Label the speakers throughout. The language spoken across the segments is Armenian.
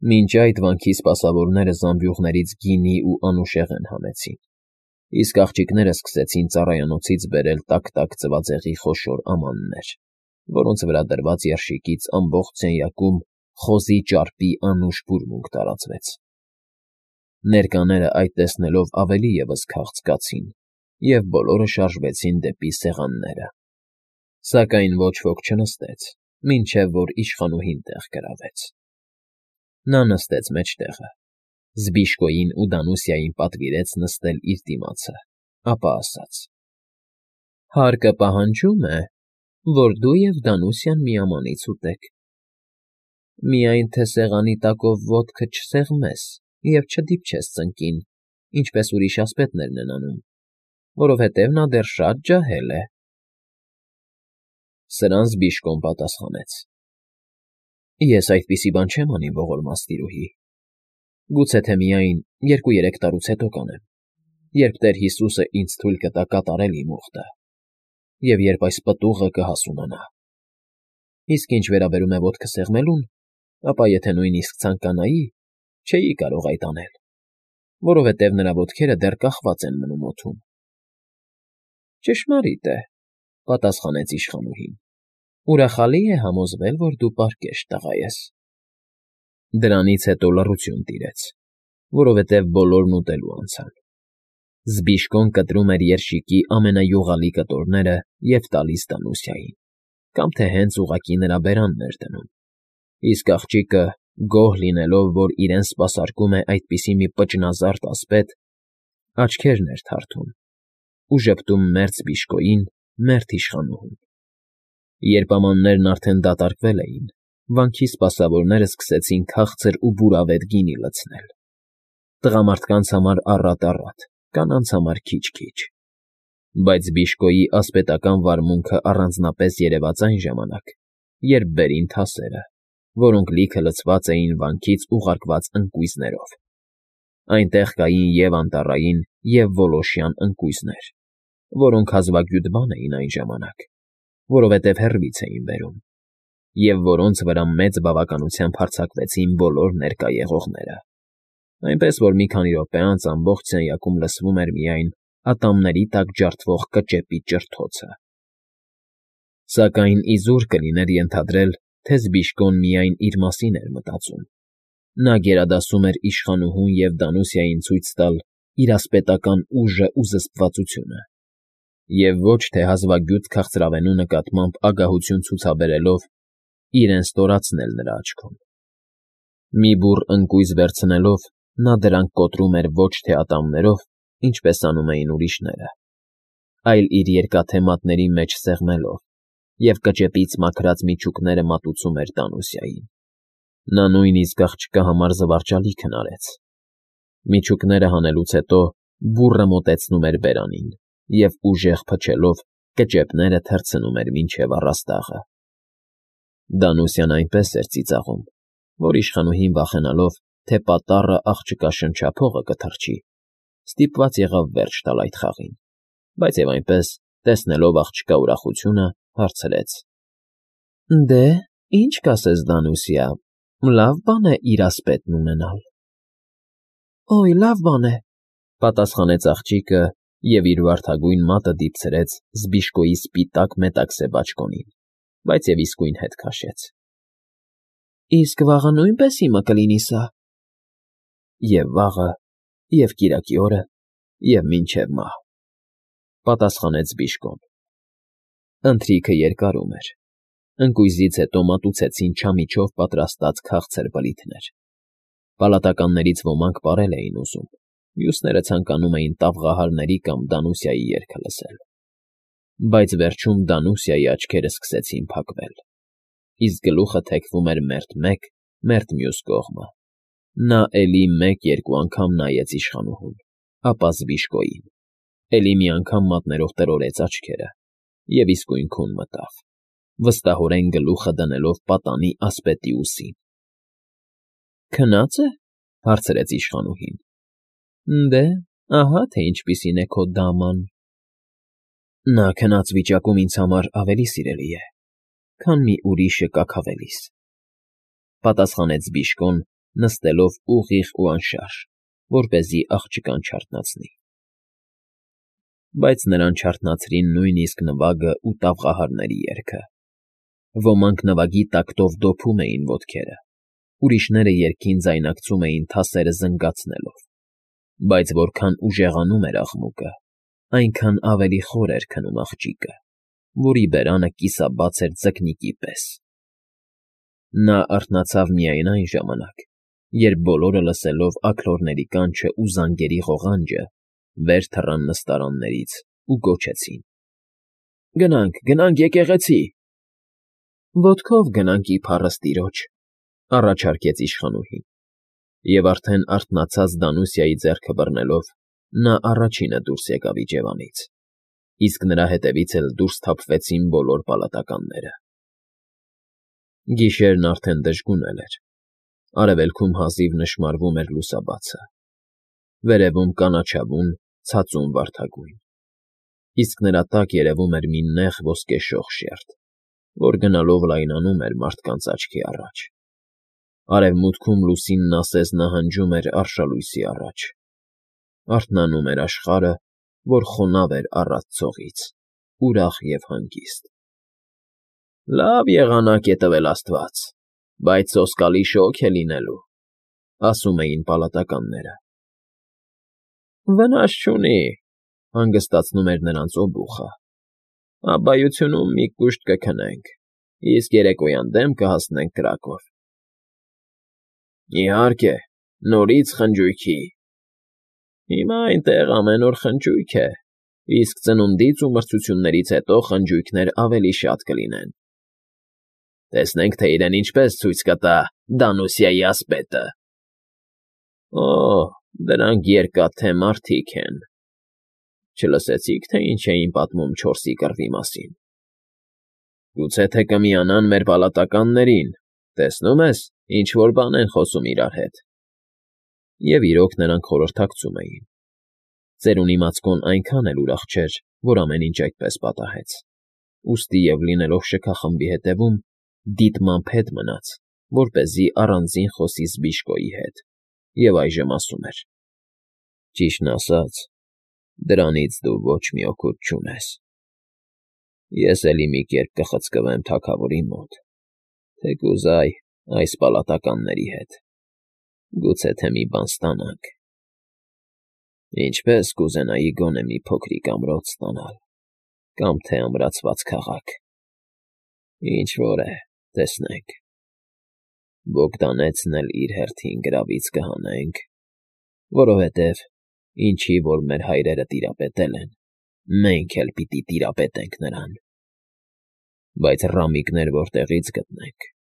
Speaker 1: Մինչ այդ վանքի սպասավորները զամբյուղներից գինի ու անուշեղեն հանեցին, իսկ աղջիկները սկսեցին ծառայանոցից բերել տաք-տաք ձվածեղի խոշոր ամաններ, որոնց վրա դրված երշիկից ամբողջ սենյակում խոզի ճարպի անուշ բուրմունք տարածվեց։ Ներկաները այդ տեսնելով ավելի ևս քաղցկացին և բոլորը շարժվեցին դեպի սեղանները, սակայն ոչ ոք չնստեց, մինչև որ իշխանուհին տեղ գրավեց։ Նա նստեց մեջտեղը, Զբիշկոյին ու Դանուսիային պատվիրեց նստել իր դիմացը, ապա ասաց. «Հարկը պահանջում է, որ դու և Դանուսիան միամանից ուտեք, միայն թե սեղանի տակով ոտքը չսեղմես և չդիպչես ծնկին, ինչպես ուրիշ ասպետներն են անում, որովհետև նա դեռ շատ ջահել է»։ Սրան Զբիշկոն պատասխանեց. «Ես այդպիսի բան չեմ անի, ողորմած տիրուհի, գուցե թե միայն 2-3 տարուց հետո կանեմ, երբ Տեր Հիսուսը ինձ թույլ կտա կատարել իմ ուխտը և երբ այս պտուղը կհասունանա։ Իսկ ինչ վերաբերում է ոտքը սեղմելուն, ապա եթե նույնիսկ ցանկանայի, չէի կարող այդ անել, որովհետև նրա ոտքերը դեռ կախված են մնում օդում»։ «Ճշմարիտ է,֊ պատասխանեց իշխանուհին,֊ ուրախալի է համոզվել, որ դու պարկեշտ տղա ես»։ Դրանից հետո լռություն տիրեց, որովհետև բոլորն ուտելու անցան։ Զբիշկոն կտրում էր երշիկի ամենայուղալի կտորները և տալիս Դանուսիային, կամ թե հենց ուղղակի նրա բերանն էր դնում, իսկ աղջիկը, գոհ լինելով, որ իրեն սպասարկում է այդպիսի մի պճնազարդ ասպետ, աչքերն էր թարթում ու ժպտում մերթ Զբիշկոյին, մերթ իշխանուհուն։ Երբ ամաններն արդեն դատարկվել էին, վանքի սպասավորները սկսեցին քաղցր ու բուրավետ գինի լցնել, տղամարդկանց համար առատ, կանանց համար քիչ֊քիչ, բայց Զբիշկոյի ասպետական վարմունքը առանձնապես երևաց այն ժամանակ, երբ բերին թասերը, որոնք լիքը լցված էին վանքից ուղարկված ընկույզներով։ Այնտեղ կային և անտառային, և որոշյան ընկույզներ, որոնք հազվագյուտ բան էին այն ժամանակ, որովհետև հեռվից էին բերում, և որոնց վրա մեծ բավականությամբ հարձակվեցին բոլոր ներկա եղողները, այնպես որ մի քանի րոպե անց ամբողջ սենյակում լսվում էր միայն ատամների տակ ջարդվող կճեպի ճրթոցը։ Սակայն իզուր կլիներ ենթադրել, թե Զբիշկոն միայն իր մասին էր մտածում. նա գերադասում էր իշխանուհուն և Դանուսիային ցույց տալ իր ասպետական ուժն ու զսպվածությունը, և ոչ թե հազվագյուտ քաղցրավենու նկատմամբ ագահություն ցուցաբերելով իրեն ստորացնել նրա աչքում։ Մի բուռ ընկույզ վերցնելով, նա դրանք կոտրում էր ոչ թե ատամներով, ինչպես անում էին ուրիշները, այլ իր երկաթե մատների մեջ սեղմելով, և կճեպից մաքրած միջուկները մատուցում էր Դանուսիային։ Նա նույնիսկ աղջկա համար զվարճալի քնարեց։ Միջուկները հանելուց հետո բուռը մոտեցնում էր բերանին և ուժեղ փչելով կճեպները թռցնում էր մինչև առաստաղը։ Դանուսիան այնպես էր ծիծաղում, որ իշխանուհին վախենալով, թե պատառը աղջկա շնչափողը կթռչի, ստիպված եղավ վերջ տալ այդ խաղին, բայց և այնպես, տեսնելով աղջկա ուրախությունը, հարցրեց. «Դե, ի՞նչ կասես, Դանուսիա, լավ բան է իր ասպետն ունենալ»։ «Օյ, լավ բան է,֊ պատասխանեց աղջիկը և իր վարդագույն մատը դիպցրեց Զբիշկոյի սպիտակ մետաքսե բաճկոնին, բայց և իսկույն հետ քաշեց։ «Իսկ վաղը նույնպես իմը կլինի սա»։ «Եվ վաղը, և կիրակի օրը, և մինչև մահ,֊ պատասխանեց Զբիշկոն։ Ընթրիքը երկարում էր։ Ընկույզից հետո մատուցեցին չամիչով պատրաստած քաղցր բլիթներ։ Պալատականներից ոմանք պարել էին ուզում, մյուսները ցանկանում էին տավղահարների կամ Դանուսիայի երգը լսել։ Բայց վերջում Դանուսիայի աչքերը սկսեցին փակվել, իսկ գլուխը թեքվում էր մերթ մեկ, մերթ մյուս կողմը։ Նա էլի մեկ֊երկու անգամ նայեց իշխանուհուն, ապա Զբիշկոյին, էլի մի անգամ մատներով տրորտեց աչքերը և իսկույն քուն մտավ, վստահորեն գլուխը դնելով պատանի ասպետի ուսին։ «Քնա՞ծ է,֊ հարցրեց իշխանուհին։ Դե, ահա թե ինչպիսին է քո դաման»։ «Նա քնած վիճակում ինձ համար ավելի սիրելի է, քան մի ուրիշը կաքավելիս,֊ պատասխանեց Զբիշկոն նստելով ուղիղ ու անշարժ, որպեսզի աղջկան չարթնացնի։ Բայց նրան չարթնացրին նույնիսկ նվագը ու տաղահարների երգը։ Ոմանք նվագի տակտով դոփում էին ոտքերը, ուրիշները երգին ձայնակցում էին թասերը զնգացնելով, բայց որքան ուժեղանում էր աղմուկը, այնքան ավելի խոր էր քնում աղջիկը, որի բերանը կիսաբաց էր ձկնիկի պես։ Նա արթնացավ միայն այն ժամանակ, երբ բոլորը լսելով աքլորների կանչը ու զանգերի ղողանջը, վեր թռան նստարաններից ու գոչեցին. Գնանք եկեղեցի։ Ոտքով գնանք ի փառըստիրոջ, առաջարկեց իշխանուհին, և արդեն արթնացած Դանուսիայի ձեռքը բռնելով, նա առաջինը դուրս եկավ իջևանից, իսկ նրա հետևից էլ դուրս թափվեցին բոլոր պալատականները։ Գիշերն արդեն դժգունել էր, արևելքում հազիվ նշմարվում էր լուսաբացը, վերևում կանաչավուն, ցածուն վարդագույն, իսկ նրա տակ երևում էր մի նեղ ոսկեշող շերտ, որ գնալով լայնանում էր մարդկանց աչքի առաջ։ Արևմուտքում լուսինն ասես նահանջում էր արշալույսի առաջ, արթնանում էր աշխարհը, որ խոնավ էր առատ ցողից, ուրախ և հանգիստ։ Լավ եղանակ է տվել Աստված, բայց սոսկալի շոգ է լինելու, ասում էին պալատականները։ Վնաս չունի, հանգստացնում էր նրանց օբուխը։ Աբայությունում մի կուշտ կքնենք, իսկ երեկոյան դեմ կհասնենք կրակով։ Իհարկե, նորից խնջույքի։ Հիմա այնտեղ ամեն օր խնջույք է, իսկ ծնունդից ու մրցություններից հետո խնջույքներ ավելի շատ կլինեն։ Տեսնենք, թե իրեն ինչպես ցույց կտա Դանուսիայի ասպետը։ Օ, դրանք երկաթե մարդիկ են։ Չլսեցիք, թե ինչ էին պատմում չորսի կռվի մասին։ Գուցե թե կմիանան մեր պալատականներին, տեսնում ես, ինչ֊որ բան են խոսում իրար հետ։ Եվ իրոք նրանք խորհրդակցում էին։ Ծերունի Մացկոն այնքան էլ ուրախ չէր, որ ամեն ինչ այդպես պատահեց, ուստի և լինելով շքախմբի հետևում, դիտմամբ հետ մնաց, որպեսզի առանձին խոսի Զբիշկոյի հետ, և այժմ ասում էր. Ճիշտն ասած, դրանից դու ոչ մի օգուտ չունես։ Ես էլի մի կերպ կխցկվեմ թագավորի մոտ, թեկուզ այս պալատականների հետ, գուցե թե մի բան ստանանք։ Ինչպես կուզենայի գոնե մի փոքրիկ ամրոց ստանալ, կամ թե ամրացված քաղաք։ Ինչ֊որ է, տեսնենք։ Բոգդանեցն էլ իր հերթին գրավից կհանենք, որովհետև ինչի որ մեր հայրերը տիրապետել են, մենք էլ պիտի տիրապետենք նրան։ Բայց ռամիկներ որտեղից գտնենք։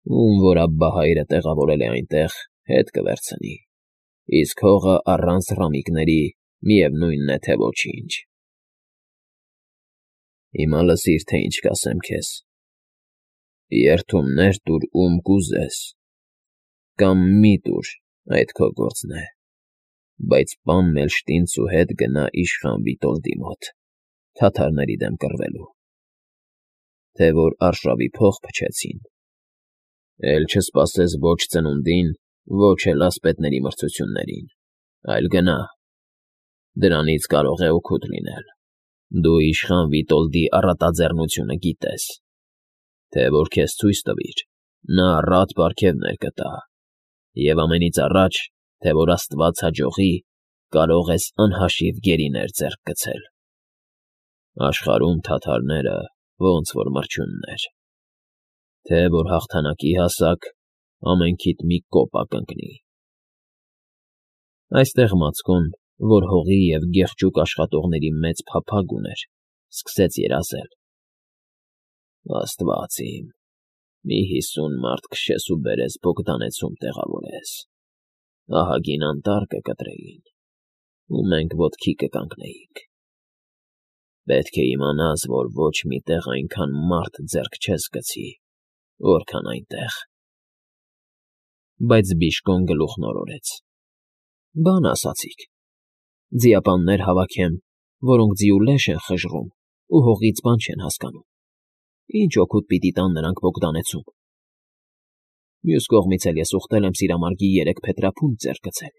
Speaker 1: Ում որ աբբահայրը տեղավորել է այնտեղ, հետ կվերցնի, իսկ հողը առանց ռամիկների միևնույնն է, թե ոչինչ։ Հիմա լսիր, թե ինչ կասեմ քեզ։ Երդումներ տուր ում կուզես, կամ մի տուր, այդ քո գործն է, բայց պան Մելշտինցու հետ գնա իշխան Վիտոլդի մոտ, թաթարների դեմ կռվելու, թե որ արշավի փող փչեցին, էլ չսպասես ոչ ծնունդին, ոչ էլ ասպետների մրցություններին, այլ գնա, դրանից կարող է օգուտ լինել։ Դու իշխան Վիտոլդի առատաձեռնությունը գիտես, թե որ քեզ ցույց տվիր, նա առատ պարգևներ կտա, և ամենից առաջ, թե որ Աստված հաջողի, կարող ես անհաշիվ գերիներ ձեռք գցել։ Աշխարհում թաթարները ոնց որ մրջյուններ, թե որ հաղթանակի հասակ, ամենքիդ մի կոպա կընկնի։ Այստեղ Մացկոն, որ հողի և գեղջուկ աշխատողների մեծ փափագ ուներ, սկսեց երազել. Աստված իմ, մի 50 մարդ քշես ու բերես Բոգդանեցում տեղավորես, ահագին անտառ կկտրեին, ու մենք ոտքի կկանգնեինք։ Պետք է իմանաս, որ ոչ մի տեղ այնքան մարդ ձեռք չես գցի, որքան այնտեղ։ Բայց Բիժկոն գլուխն օրորեց. Բան ասացիք, ձիապաններ հավաքեմ, որոնք ձիու լեշ են խժռում ու հողից բան չեն հասկանում։ Ինչ օգուտ պիտի տան նրանք Բոգդանեցում։ Մյուս կողմից էլ ես ուխտել եմ սիրամարգի 3 փետրափունջ ձեռք գցել։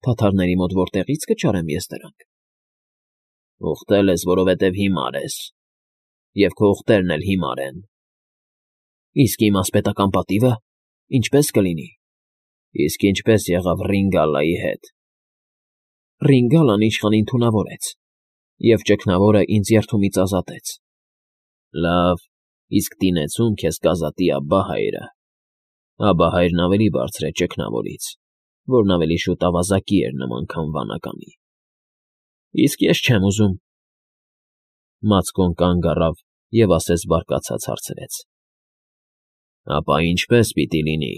Speaker 1: Թաթարների մոտ որտեղի՞ց կճարեմ ես դրանք։ Ուխտել ես, որովհետև հիմար ես, և քո ուխտերն էլ հիմար են։ Իսկ իմ ասպետական պատիվը ինչպե՞ս կլինի։ Իսկ ինչպես եղավ Ռինգալլայի հետ։ Ռինգալլան իշխանին թունավորեց, և ճգնավորը ինձ երդումից ազատեց։ Լավ, իսկ տինեցում քեզ կազատի Աբբահայրը։ Աբբահայրն ավելի բարձր է ճգնավորից, որն ավելի շուտ ավազակի էր նման, քան վանականի։ Իսկ ես չեմ ուզում։ Մացկոն կանգ առավ և ասես բարկացած հարցրեց. Ապա ինչպե՞ս պիտի լինի։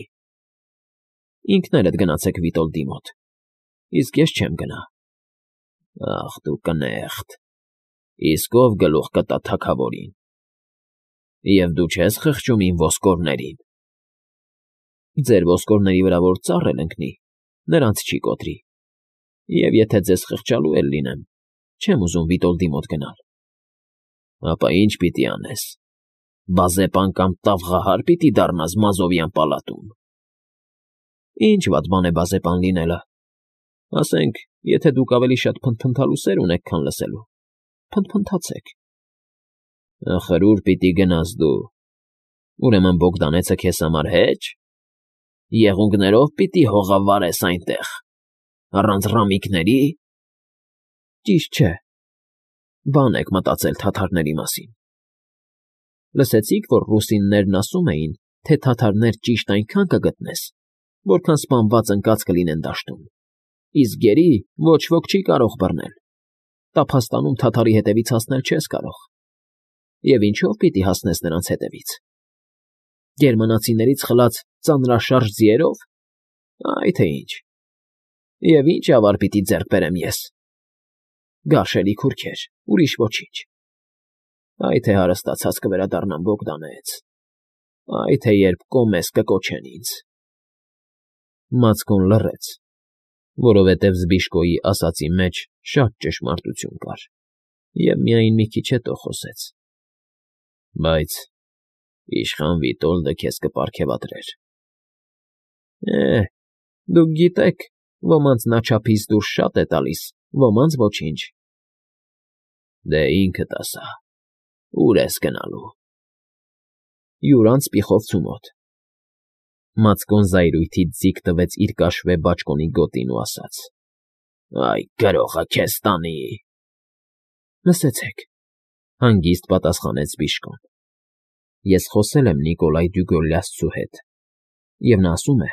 Speaker 1: Ինքներդ գնացեք Վիտոլդի մոտ, իսկ ես չեմ գնա։ Ախ, դու կնեղտ, իսկ ով գլուխ կտա թագավորին։ Եվ դու չես խղճում իմ ոսկորներին։ Ձեր ոսկորների վրա որ ծառ էլ ընկնի, նրանց չի կոտրի։ Եվ եթե ձեզ խղճալու էլ լինեմ, չեմ ուզում Վիտոլդի մոտ գնալ։ Ապա ինչ պիտի անես։ Բազեպան կամ տավղահար պիտի դառնաս Մազովյան պալատում։ Ինչ վատ բան է բազեպան լինելը։ Ասենք, եթե դուք ավելի շատ փնթփնթալու սեր ունեք, քան լսելու, փնթփնթացեք։ Ախր ուր պիտի գնաս դու։ Ուրեմն Բոգդանեցը քեզ համար հեչ։ Եղունգներով պիտի հողավարես այնտեղ, առանց ռամիկների։ Ճիշտ չէ։ Բան եք մտածել թաթարների մասին։ Լսեցի՞ք, որ ռուսիններն ասում էին, թե թաթարներ ճիշտ այնքան կգտնես, որքան սպանված ընկած կլինեն դաշտում, իսկ գերի ոչ ոք չի կարող բռնել։ Տափաստանում թաթարի հետևից հասնել չես կարող։ Եվ ինչով պիտի հասնես նրանց հետևից։ Գերմանացիներից խլած ծանրաշարժ ձիերով։ Այ թե ինչ։ Եվ ինչ ավար պիտի ձեռք բերեմ ես։ Գարշելի քուրքեր, ուրիշ ոչինչ։ Այ թե հարստացած կվերադառնամ Բոգդանեց։ Այ թե երբ կոմես կկոչեն ինձ։ Մացկոն լռեց, որովհետև Զբիշկոյի ասածի մեջ շատ ճշմարտություն կար, և միայն մի քիչ հետո խոսեց. Բայց իշխան Վիտոլդը քեզ կպարգևատրեր։ Դուք գիտեք, ոմանց նա չափից դուրս շատ է տալիս, ոմանց ոչինչ։ Դե ինքդ ասա, ուր ես գնալու։ Յուրանց Պիխովցու մոտ։ Մացկոն զայրույթից ձիգ տվեց իր կաշվե բաճկոնի գոտին ու ասաց. Այ գրողը քեզ տանի։ Լսեցեք, հանգիստ պատասխանեց Զբիշկոն։ Ես խոսել եմ Նիկոլայ Դյուգոլյասցու հետ, և նա ասում է,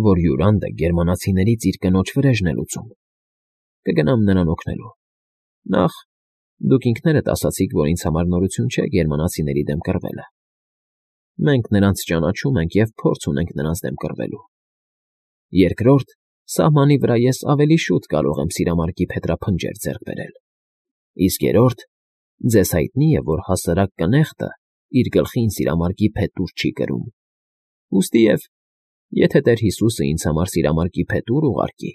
Speaker 1: որ Յուրանդը գերմանացիներից իր կնոջ վրեժն է լուծում։ Կգնամ նրան օգնելու։ Նախ, դուք ինքներդ ասացիք, որ ինձ համար նորություն չէ գերմանացիների դեմ կռվելը։ Մենք նրանց ճանաչում ենք և փորձ ունենք նրանց դեմ կռվելու։ Երկրորդ, սահմանի վրա ես ավելի շուտ կարող եմ սիրամարգի փետրափնջեր ձեռք բերել։ Իսկ երրորդ, ձեզ հայտնի է, որ հասարակ կնեղտը իր գլխին սիրամարգի փետուր չի կրում։ Ուստիև, եթե Տեր Հիսուսը ինձ համար սիրամարգի փետուր ուղարկի,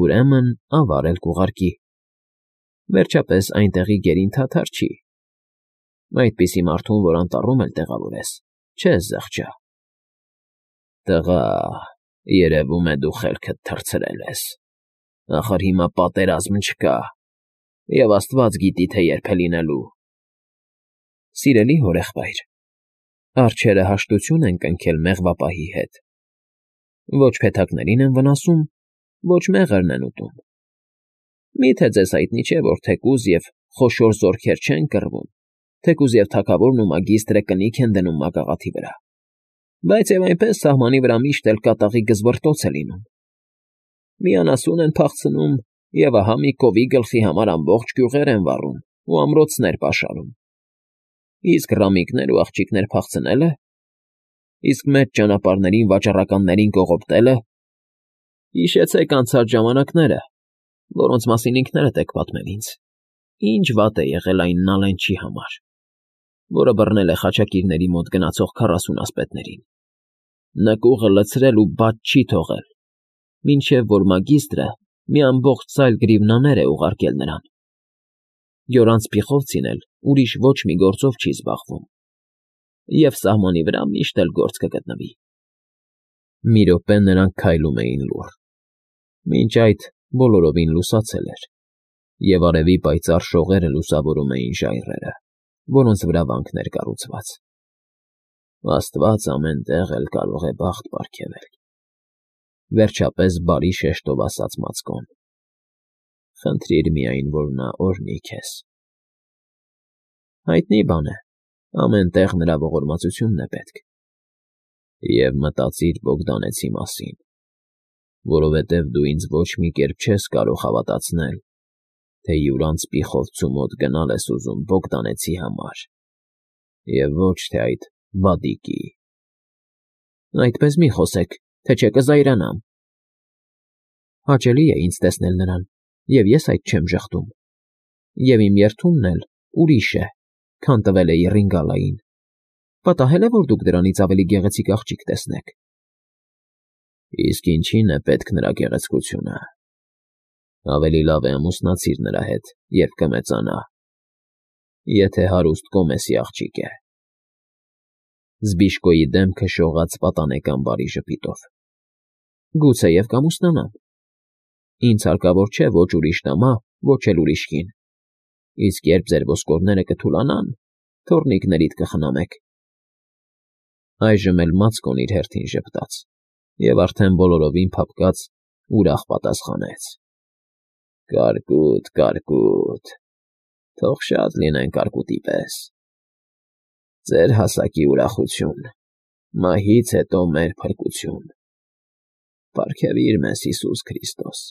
Speaker 1: ուրեմն ավար էլ կուղարկի։ Վերջապես այնտեղի գերին թաթար չի։ Այդպիսի մարդուն, որ անտառում էլ տեղավորես, չես զղջա։ Տղա, երևում է դու խելքդ թռցրել ես։ Ախր հիմա պատերազմ չկա, և Աստված գիտի, թե երբ է լինելու։ Սիրելի հորեղբայր, արջերը հաշտություն են կնքել մեղվապահի հետ։ Ոչ փեթակներին են վնասում, ոչ մեղրն են ուտում։ Մի՞թե ձեզ հայտնի չէ, որ թեկուզ և խոշոր զորքեր չեն կռվում, թեկուզ և թագավորն ու մագիստրը կնիք են դնում մագաղաթի վրա, բայց և այնպես սահմանի վրա միշտ էլ կատաղի գզվռտոց է լինում։ Մի անասուն են փախցնում, և ահա մի կովի գլխի համար ամբողջ գյուղեր են վառում ու ամրոցներ պաշարում։ Իսկ ռամիկներ ու աղջիկներ փախցնելը, իսկ մեծ ճանապարհներին վաճառականներին կողոպտելը։ Հիշեցեք անցած ժամանակները, որոնց մասին ինքներդ եք պատմել ինձ։ Ինչ վատ է եղել այն Նալենչի համար, որը բռնել է խաչակիրների մոտ գնացող 40 ասպետներին։ Նկուղը լցրել ու բաց չի թողել, մինչև որ մագիստրը մի ամբողջ ծայլ գրիվնաներ է ուղարկել նրան։ Յորանց Պիխովցին էլ ուրիշ ոչ մի գործով չի զբաղվում։ և սահմանի վրա միշտ էլ գործ կգտնվի։ Մի րոպե նրանք քայլում էին լուռ։ Մինչ այդ բոլորովին լուսացել էր, և արևի պայծառ շողերը լուսավորում էին ժայռերը, որոնց վրա վանքներ կառուցված։ Աստված ամեն տեղ էլ կարող է բախտ պարգևել, վերջապես բարի շեշտով ասաց Մացկոն։ Խնդրիր միայն, որ նա օրհնի քեզ։ Հայտնի բան է, ամեն տեղ նրա ողորմածությունն է պետք։ Եվ մտածիր Բոգդանեցի մասին, որովհետև դու ինձ ոչ մի կերպ չես կարող հավատացնել, թե յուրանցպի խոցու մոտ գնալ ես ուզում Բոգդանեցի համար, և ոչ թե այդ վադիկի։ Այդպես մի խոսեք, թե չէ կզայրանամ։ Հաճելի է ինձ տեսնել նրան, և ես այդ չեմ ժխտում, և իմ երդումն էլ ուրիշ է, քան տվել էի Ռինգալային։ Պատահել է, որ դուք դրանից ավելի գեղեցիկ աղջիկ տեսնեք։ Իսկ ինչի՞ն է պետք նրա գեղեցկությունը։ Ավելի լավ է ամուսնացիր նրա հետ, երբ կմեծանա, եթե հարուստ կոմեսի աղջիկ է։ Զբիշկոյի դեմքը շողաց պատանեկան բարի ժպիտով։ Գուցեև կամուսնանամ։ Ինձ հարկավոր չէ ոչ ուրիշ տամա, ոչ էլ ուրիշ կին։ Իսկ երբ ձեր ոսկորները կթուլանան, թոռնիկներիդ կխնամեք։ Այժմ էլ Մացկոն իր հերթին ժպտաց և արդեն բոլորովին փափկած ուրախ պատասխանեց. Կարկուտ, կարկուտ, թող շատ լինեն կարկուտի պես։ Ձեր հասակի ուրախություն, մահից հետո մեր փրկություն։ Պարգևիր մեզ, Հիսուս Քրիստոս։